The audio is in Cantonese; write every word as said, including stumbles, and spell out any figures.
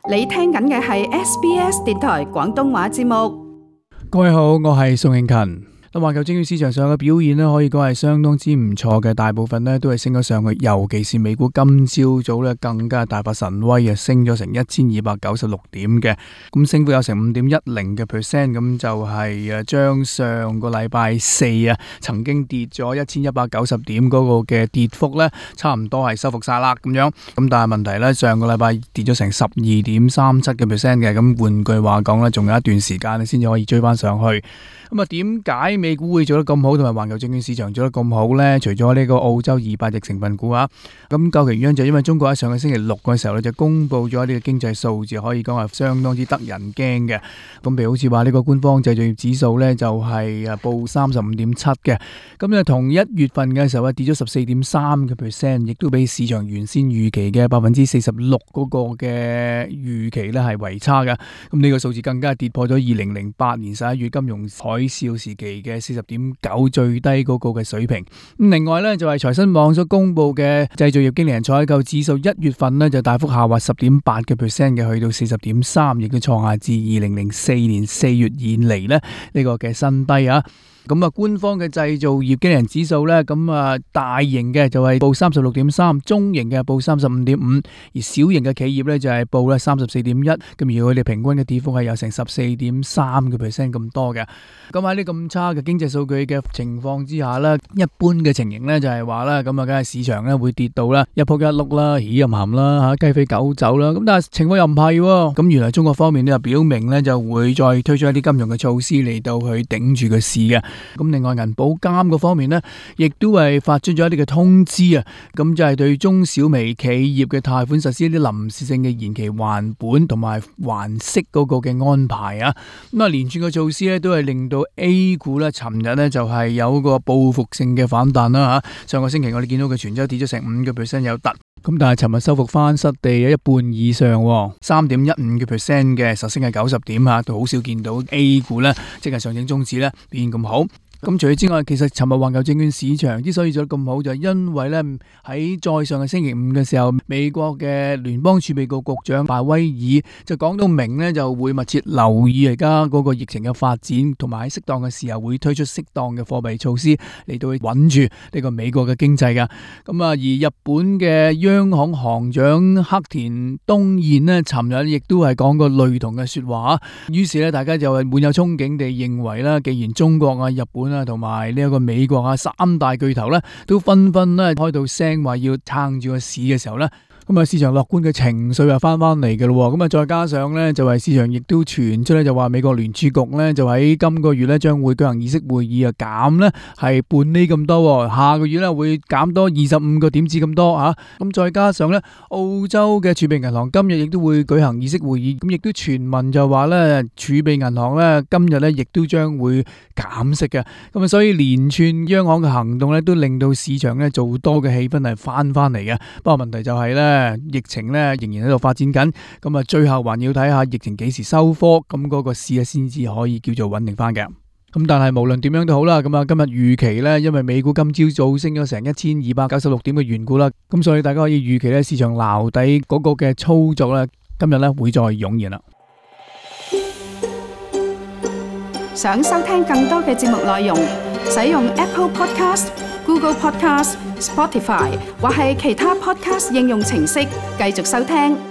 你聽緊嘅係 S B S 電台廣東話節目。各位好，我係宋慶勤。咁環球證券市場上嘅表現咧，可以講係相當之唔錯嘅，大部分咧都係升咗上去，尤其是美股今朝早咧更加大發神威啊，升咗成一千二百九十六點嘅，咁升幅有成五點一零嘅 percent， 咁就係誒將上個禮拜四啊曾經跌咗一千一百九十點嗰個嘅跌幅咧，差唔多係收復晒啦咁樣。咁但係問題咧，上個禮拜跌咗成十二點三七嘅 percent 嘅，咁換句話講咧，仲有一段時間咧先至可以追翻上去。咁啊，點解美股會做得咁好，同埋環球證券市場做得咁好呢？除咗呢個澳洲二百隻成分股啊，咁究其原因就因為中國喺上個星期六嘅時候咧就公布咗呢個經濟數字，可以講係相當之得人驚嘅。咁譬如好似話呢個官方製造業指數呢，就係誒報三十五點七嘅，咁啊同一月份嘅時候啊跌咗十四點三嘅 percent， 亦都比市場原先預期嘅百分之四十六嗰個嘅預期呢係為差嘅。咁呢個數字更加跌破咗二零零八年十一月金融海嘯時期嘅四十點九最低嗰個嘅水平。咁另外呢，就係財新網所公布嘅製造業經理人採購指數，一月份呢就大幅下滑十點八嘅 percent 嘅，去到四十點三，亦都創下自二零零四年四月以嚟呢呢個嘅新低啊。咁啊，官方嘅製造業經理人指數咧，咁啊大型嘅就係報三十六點三，中型嘅報三十五點五，而小型嘅企業咧就係報咧三十四點一，咁而佢哋平均嘅跌幅係有成十四點三個 percent 咁多嘅。咁喺呢咁差嘅經濟數據嘅情況之下咧，一般嘅情形咧就係話咧，咁啊，梗係市場咧會跌到啦一仆一碌啦，起冚冚啦吓，雞飛狗走啦。咁但係情況又唔係喎，咁原來中國方面咧就表明咧就會再推出一啲金融嘅措施嚟到去頂住個市嘅。咁另外銀保監嗰方面呢，亦都係發出咗一啲嘅通知啊，咁就係對中小微企業嘅貸款實施一啲臨時性嘅延期還本同埋還息嗰個嘅安排啊。咁啊，連串嘅措施咧都係令到 A 股咧，尋日呢就係有個報復性嘅反彈啦吓。上個星期我哋見到佢全周跌咗成五個 percent 有突，咁但係尋日收復翻失地有一半以上，三點一五個 percent 嘅實升係九十點吓，都好少見到 A 股咧，即係上證綜指咧表現咁好。咁除咗之外，其實尋日環球證券市場之所以做得咁好，就係因為咧喺再上嘅星期五嘅時候，美國嘅聯邦儲備局局長鮑威爾就講到明咧，就會密切留意而家嗰個疫情嘅發展，同埋喺適當嘅時候會推出適當嘅貨幣措施嚟到去穩住呢個美國嘅經濟噶。咁啊，而日本嘅央行行長黑田東彥呢，尋日亦都係講過類同嘅說話。於是咧，大家就係滿有憧憬地認為啦，既然中國啊、日本同埋呢一個美國啊，三大巨頭咧都紛紛咧開到聲話要撐住個市嘅時候咧，咁啊市場樂觀嘅情緒又翻翻嚟嘅咯，咁啊再加上咧就係市場亦都傳出咧就話美國聯儲局咧就喺今個月咧將會舉行議息會議啊，減咧係半厘咁多，下個月咧會減多二十五個點子咁多啊，咁再加上咧澳洲嘅儲備銀行今日亦都會舉行議息會議，咁亦都傳聞就話咧儲備銀行咧今日咧亦都將會減息嘅，咁啊所以連串央行嘅行動咧都令到市場咧做多嘅氣氛係翻翻嚟嘅。不過問題就係咧疫情咧仍然喺度發展緊，咁啊最後還要睇下疫情幾時收科，咁嗰個市啊先至可以叫做穩定翻嘅。咁但係無論點樣都好啦，咁啊今日預期咧，因為美股今朝早升咗成一千二百九十六點嘅緣故啦，咁所以大家可以預期咧市場撈底嗰個嘅操作咧，今日咧會再湧現啦。想收聽更多嘅節目內容，使用 Apple Podcast、Google Podcast、Spotify 或係其他 Podcast 應用程式繼續收聽。